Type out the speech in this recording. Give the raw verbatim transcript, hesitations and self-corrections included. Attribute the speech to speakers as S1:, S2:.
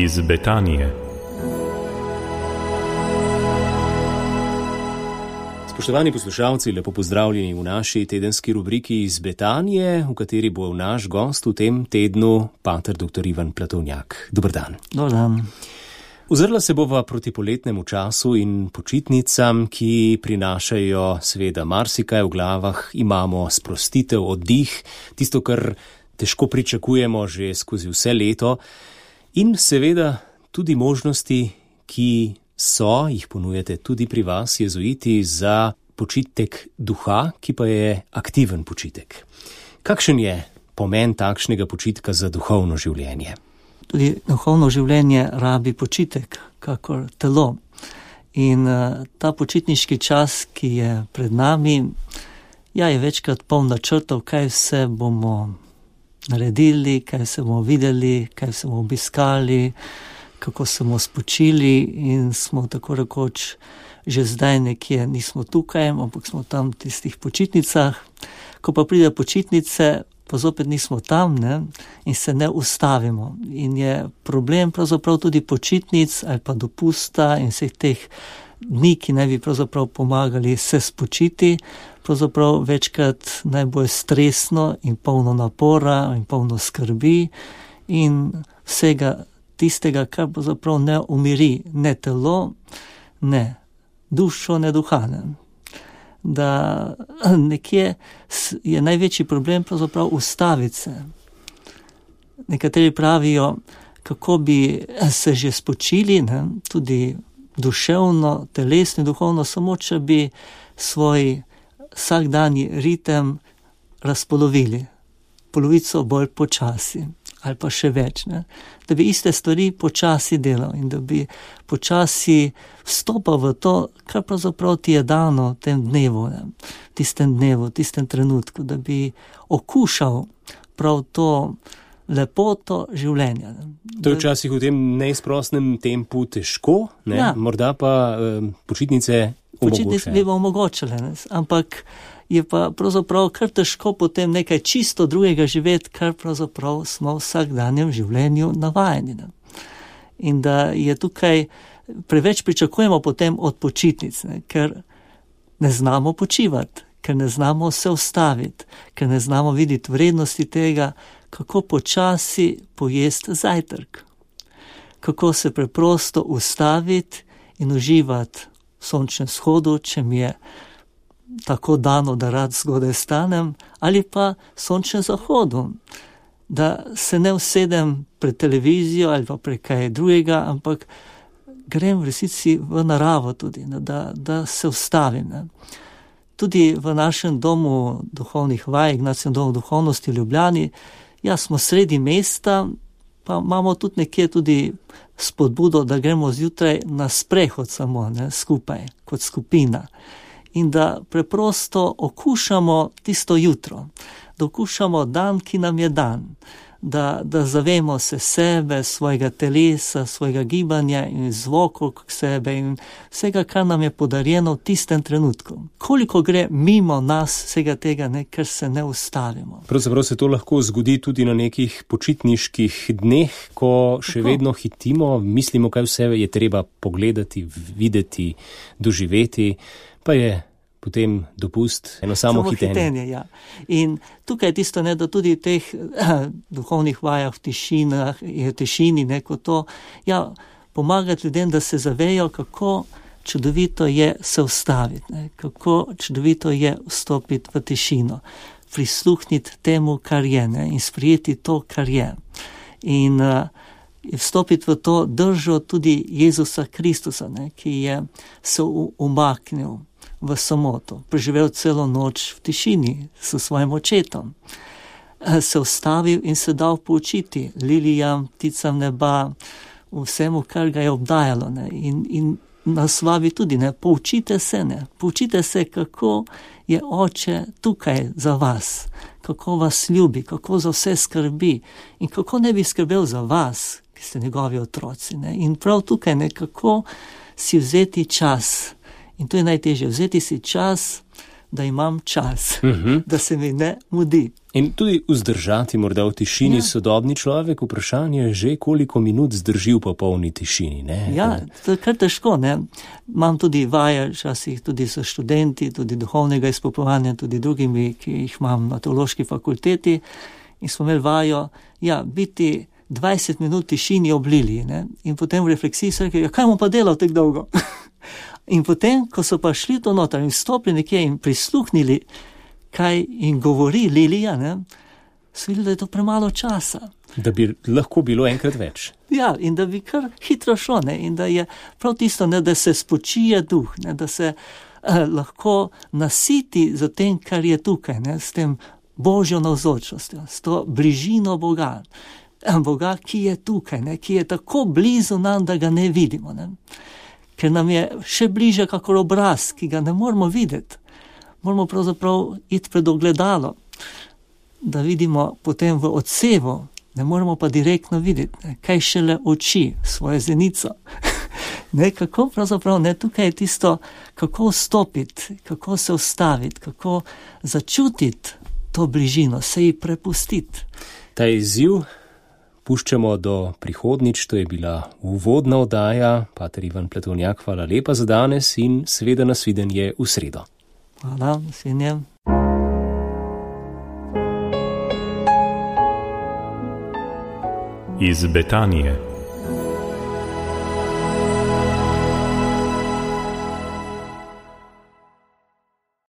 S1: iz Betanije. Spoštovani poslušalci, lepo pozdravljeni v naši tedenski rubriki iz Betanije, v kateri bo naš gost v tem tednu pater doktor Ivan Platovnjak. Dober dan.
S2: Dober dan.
S1: Ozrla se bova proti poletnemu času in počitnicam, ki prinašajo seveda marsikaj v glavah. Imamo sprostitev, oddih, tisto, kar težko pričakujemo že skozi vse leto. In seveda tudi možnosti, ki so, jih ponujate tudi pri vas, jezuiti, za počitek duha, ki pa je aktiven počitek. Kakšen je pomen takšnega počitka za duhovno življenje?
S2: Tudi duhovno življenje rabi počitek, kakor telo. In uh, ta počitniški čas, ki je pred nami, ja, je večkrat poln načrtov, kaj vse bomo naredili, kaj se bomo videli, kaj se bomo obiskali, kako se bomo spočili in smo tako rekoč že zdaj nekje, nismo tukaj, ampak smo tam v tistih počitnicah. Ko pa pride počitnice, pa zopet nismo tam, ne, in se ne ustavimo. In je problem pravzaprav tudi počitnic ali pa dopusta in vseh teh dni, ki naj bi pravzaprav pomagali se spočiti, pravzaprav večkrat najbolj stresno in polno napora in polno skrbi in vsega tistega, kar pravzaprav ne umiri, ne telo, ne dušo, ne duha. Ne. Da nekje je največji problem pravzaprav ustaviti se. Nekateri pravijo, kako bi se že spočili, ne, tudi duševno, telesno, duhovno, samo če bi svoj vsakdanji ritem razpolovili, polovico bolj počasi ali pa še več, ne? Da bi iste stvari počasi delal in da bi počasi vstopal v to, kar pravzaprav ti je dano v tem dnevu, ne? V tistem dnevu, v tistem trenutku, da bi okušal prav to lepoto življenja. Ne?
S1: To je včasih v tem neizprostnem tempu težko, ne? Ja. Morda pa eh, počitnice omogočajo.
S2: Počitnice bi omogočile, ne? Ampak je pa pravzaprav kar težko potem nekaj čisto drugega živeti, kar pravzaprav smo v vsakdanjem življenju navajeni. Ne? In da je tukaj preveč pričakujemo potem od počitnic, ne? Ker ne znamo počivati, ker ne znamo se ustaviti, ker ne znamo videti vrednosti tega, kako počasi pojesti zajtrk, kako se preprosto ustaviti in uživati v sončnem shodu, če mi je tako dano, da rad zgodaj stanem, ali pa sončnem zahodu, da se ne usedem pred televizijo ali pa pred kaj drugega, ampak grem v resnici v naravo tudi, da, da se ustavim. Ne. Tudi v našem domu duhovnih vaj, Ignacijevem domu duhovnosti v Ljubljani, ja, smo sredi mesta, pa imamo tudi nekje tudi spodbudo, da gremo zjutraj na sprehod samo, ne, skupaj, kot skupina. In da preprosto okušamo tisto jutro, da okušamo dan, ki nam je dan, da, da zavemo se sebe, svojega telesa, svojega gibanja in zvokov sebe in vsega, kar nam je podarjeno v tistem trenutku. Koliko gre mimo nas vsega tega, ne, ker se ne ustavimo.
S1: Pravzaprav se to lahko zgodi tudi na nekih počitniških dneh, ko še Tako. vedno hitimo, mislimo, kaj vse je treba pogledati, videti, doživeti. Pa je potem dopust eno samo, samo hitenje.
S2: hitenje ja. In tukaj je tisto, ne, da tudi v teh eh, duhovnih vajah, v tišinah, v tišini, neko to, ja, pomagati ljudem, da se zavejo, kako čudovito je se ustaviti, ne, kako čudovito je vstopiti v tišino, prisluhniti temu, kar je, ne, in sprijeti to, kar je. In uh, vstopiti v to držo tudi Jezusa Kristusa, ne, ki je se umaknil v samoto, preživel celo noč v tišini s svojim očetom, se ustavil in se dal poučiti lilijam, pticam neba, vsemu, kar ga je obdajalo. Ne, in, in nas vabi tudi, ne, poučite se, ne, poučite se, kako je oče tukaj za vas, kako vas ljubi, kako za vse skrbi in kako ne bi skrbel za vas, ki ste njegovi otroci. Ne? In prav tukaj nekako si vzeti čas. In to je najtežje, vzeti si čas, da imam čas,
S1: uh-huh.
S2: da se mi ne mudi.
S1: In tudi vzdržati morda v tišini ja. Sodobni človek, vprašanje je že, koliko minut zdrži v popolni tišini. Ne?
S2: Ja, to je kar težko. Ne? Imam tudi vaje, včasih tudi so študenti, tudi duhovnega izpopolnjevanja, tudi drugimi, ki jih imam na teološki fakulteti. In smo imeli vajo, ja, biti dvajset minut tišini oblili. Ne? In potem v refleksiji so rekli, ja, kaj bomo pa delal tako dolgo? In potem, ko so pa šli to noter in stopili nekje in prisluhnili, kaj jim govori Lilija, ne, so videli, da je to premalo časa.
S1: Da bi lahko bilo enkrat več.
S2: Ja, in da bi kar hitro šlo, ne, in da je prav tisto, ne, da se spočije duh, ne, da se eh, lahko nasiti za tem, kar je tukaj, ne, s tem Božjo navzočnostjo, s to bližino Boga. Boga, ki je tukaj, ne, ki je tako blizu nam, da ga ne vidimo. Ne. Ker nam je še bliže kakor obraz, ki ga ne moramo videti. Moramo pravzaprav iti pred ogledalo, da vidimo potem v odsevu, ne moramo pa direktno videti, ne, kaj šele oči, svojo zenico. Ne, kako pravzaprav, ne, tukaj je tisto, kako vstopiti, kako se ustaviti, kako začutiti to bližino, se ji prepustiti.
S1: Ta izziv puščamo do prihodnič, to je bila uvodna oddaja. Pater Ivan Pletovnjak, hvala lepa za danes in seveda nasvidenje v sredo.
S2: Hvala, nasvidenje.
S3: Iz Betanije.